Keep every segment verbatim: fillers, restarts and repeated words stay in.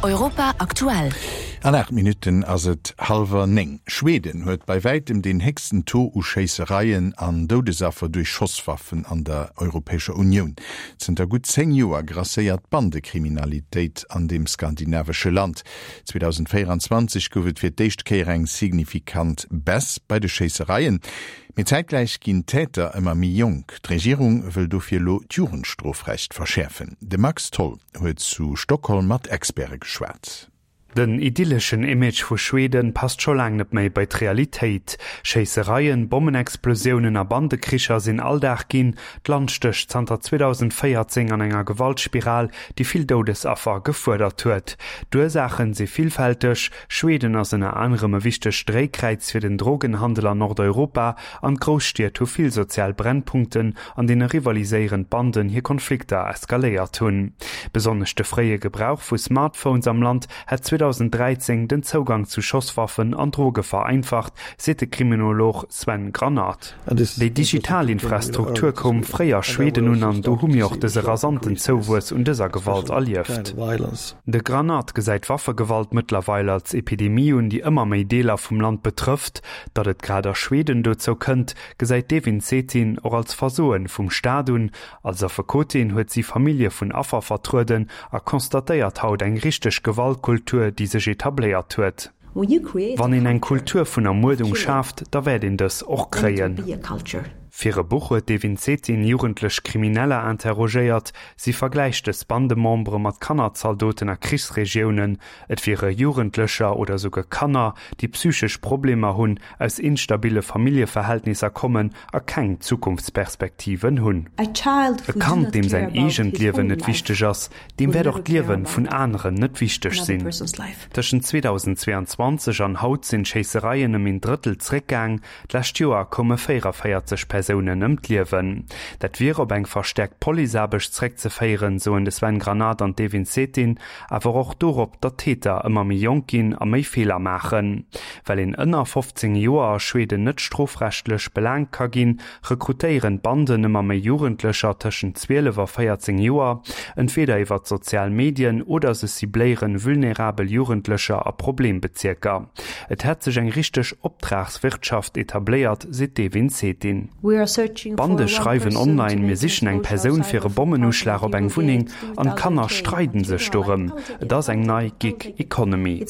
Europa aktuell. An aacht Minutten ass et hallwer néng. Schweden huet bei wäitem deen héchsten Taux u Schéissereien an Doudesaffer duerch Schosswaffen an der Europäescher Unioun. Zënter gutt zéng Joer grasséiert d'Bandekriminalitéit an deem skandinavesche Land. zweedausendvéierenzwanzeg gouf et fir d'éischt Kéier eng signifikant Baisse bei de Schéissereien. Mee zäitgläich ginn d'Täter ëmmer méi jonk. D'Regierung wëll dofir elo d'Jugendstrofrecht verschäerfen. De Max Tholl huet zu Stockholm mat Experte geschwat. Den idylleschen Image vu Schweden passt scho laang net méi bei d'Realitéit. Schéissereien, Bommenexplosiounen a Bandekricher sinn Alldag ginn. D'Land stécht zanter zweedausendvéierzéng an enger Gewaltspiral, déi vill Doudesaffer gefuerdert huet. D'Ursaachen si villfälteg, Schweden ass ënner anerem e wichtegt Dréikräiz fir den Drogenhandel an Nordeuropa an d'Grousstied hu vill sozial Brennpunkten, an deene rivaliséierend Banden hir Konflikter eskaléiert hunn. Besonnesch de fréie Gebrauch vu Smartphones am Land hätt zweedausendräizéng den Zougang zu Schosswaffen an Droge vereinfacht, seet de Kriminolog Sven Granath. Déi digital Infrastruktur koum fréi a Schweden un an do hu mir och dëse rasanten Zouwuess un dëser Gewalt erlieft. De Granath gesäit Waffegewalt mëttlerweil als Epidemie un, déi ëmmer méi Deeler vum Land betrëfft. Datt et grad a Schweden dozou kënnt, gesäit d'Evin Cetin och als Versoen vum Staat un. Als Affekotin huet si Famillje vun Affer vertrueden a constatéiert haut eng richteg Gewaltkultur, déi sech etabléiert huet. Wann een eng Kultur vun Ermuerdung schaaft, da wäert een dës och kréien. Fir e Buch huet d'Evin Cetin jugendlech Krimineller interrogéiert. Si vergläicht dës Bandemembere mat Kannerzaldoten a Krichsregiounen. Et wiere Jugendlecher oder souguer Kanner, déi psychesch Problemer hunn, aus instabille Familljeverhältnisser kommen a keng Zukunftsperspektiven hunn. E Kand, deem säin eegent Liewen net wichteg ass, deem wäert och d'Liewe vun aneren net wichteg sinn. Tëschent zweedausendzweeanzwanzeg an haut sinn d'Schéissereien ëm een Drëttel zréckgaang. D'lescht Joer koume véierunvéierzeg Persounen ëm d'Liewen. Dat wier op eng verstäerkt Policeaarbecht zréckzeféieren, soen de Sven Granath an d'Evin Cetin, awer och dorop, datt d'Täter ëmmer méi jonk ginn a méi Feeler maachen. Well een ënner fofzéng Joer a Schweden net strofrechtlech belaangt ka ginn, rekrutéieren d'Banden ëmmer méi Jugendlecher tëschent zwielef a véierzéng Joer, entweeder iwwer d'sozial Medien oder se cibléieren vulnerabel Jugendlecher a Problembezierker. Et hätt sech eng richteg Optragswirtschaft etabléiert, seet d'Evin Cetin. D'Bande schreiwen online, Mir sichen eng Persoun fir e Bommenuschlag op eng Wunneng an d'Kanner streiden sech dorëm. Et ass eng nei Gig Economy.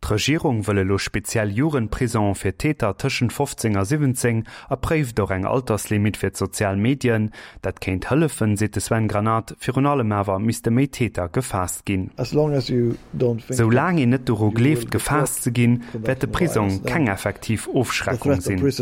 D'Regierung wëll elo speziell Jugendprisonge fir Täter tëschent fofzéng a siwwenzéng a préift och eng Alterslimit fir d'sozial Medien. Dat kéint hëllefen, seet de Sven Granath, virun allem awer misste méi Täter gefaasst ginn. Sou laang een net doru gleeft gefaasst ze ginn, wäert de Prisong keng effektiv Ofschreckung sinn.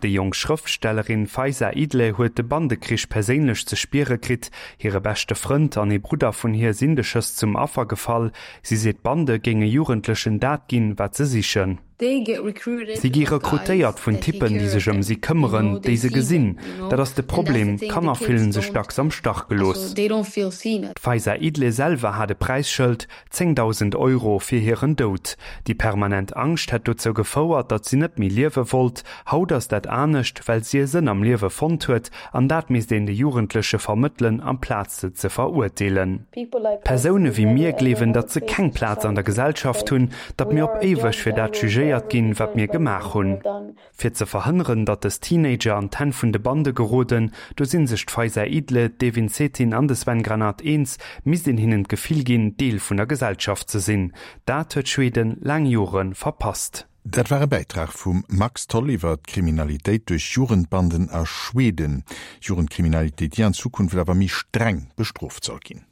Déi jonk Schrëftstellerin Faiza Idle huet de Bandekrich perséinlech ze spiere kritt. Hire beschte Frënd an ee Brudder vun hir sinn de Schëss zum Affer gefall. Si seet, d'Bande géinge Jugendlechen dat ginn, wat se sichen. Si gi rekrutéiert vun Typpen, déi sech ëm si këmmeren, déi se gesinn. Dat ass de Problem, d'Kanner fillen sech dacks am Stach gelooss. D'Faiza Idle selwer hat e Präisschëld, zéngdausend Euro fir hiren Doud. Déi permanent Angscht hätt dozou gefouert, datt si net méi liewe wollt. Haut ass dat anescht, well si e Sënn am Liewe fonnt huet, an dat misst een de Jugendleche vermëttelen, amplaz se ze verurteelen. Persoune wéi mir gleewen, datt se keng Plaz an der Gesellschaft hunn, datt mir op éiweg fir dat jugéiert ginn, wat mir gemaach hunn. Fir ze verhënneren, datt dës Teenager an d'Hänn vun de Bande geroden, do si sech d'Faiza Idle, d'Evin Cetin an de Sven Granath eens, misst een hinnen d'Gefill ginn, Deel vun der Gesellschaft ze sinn. Dat huet Schweden laang Jore verpasst. Dat war e Bäitrag vum Max Tholl iwwer d'Kriminalitéit duerch Jugendbanden a Schweden. Jugendkriminalitéit, déi an Zukunft awer méi streng bestrooft soll ginn.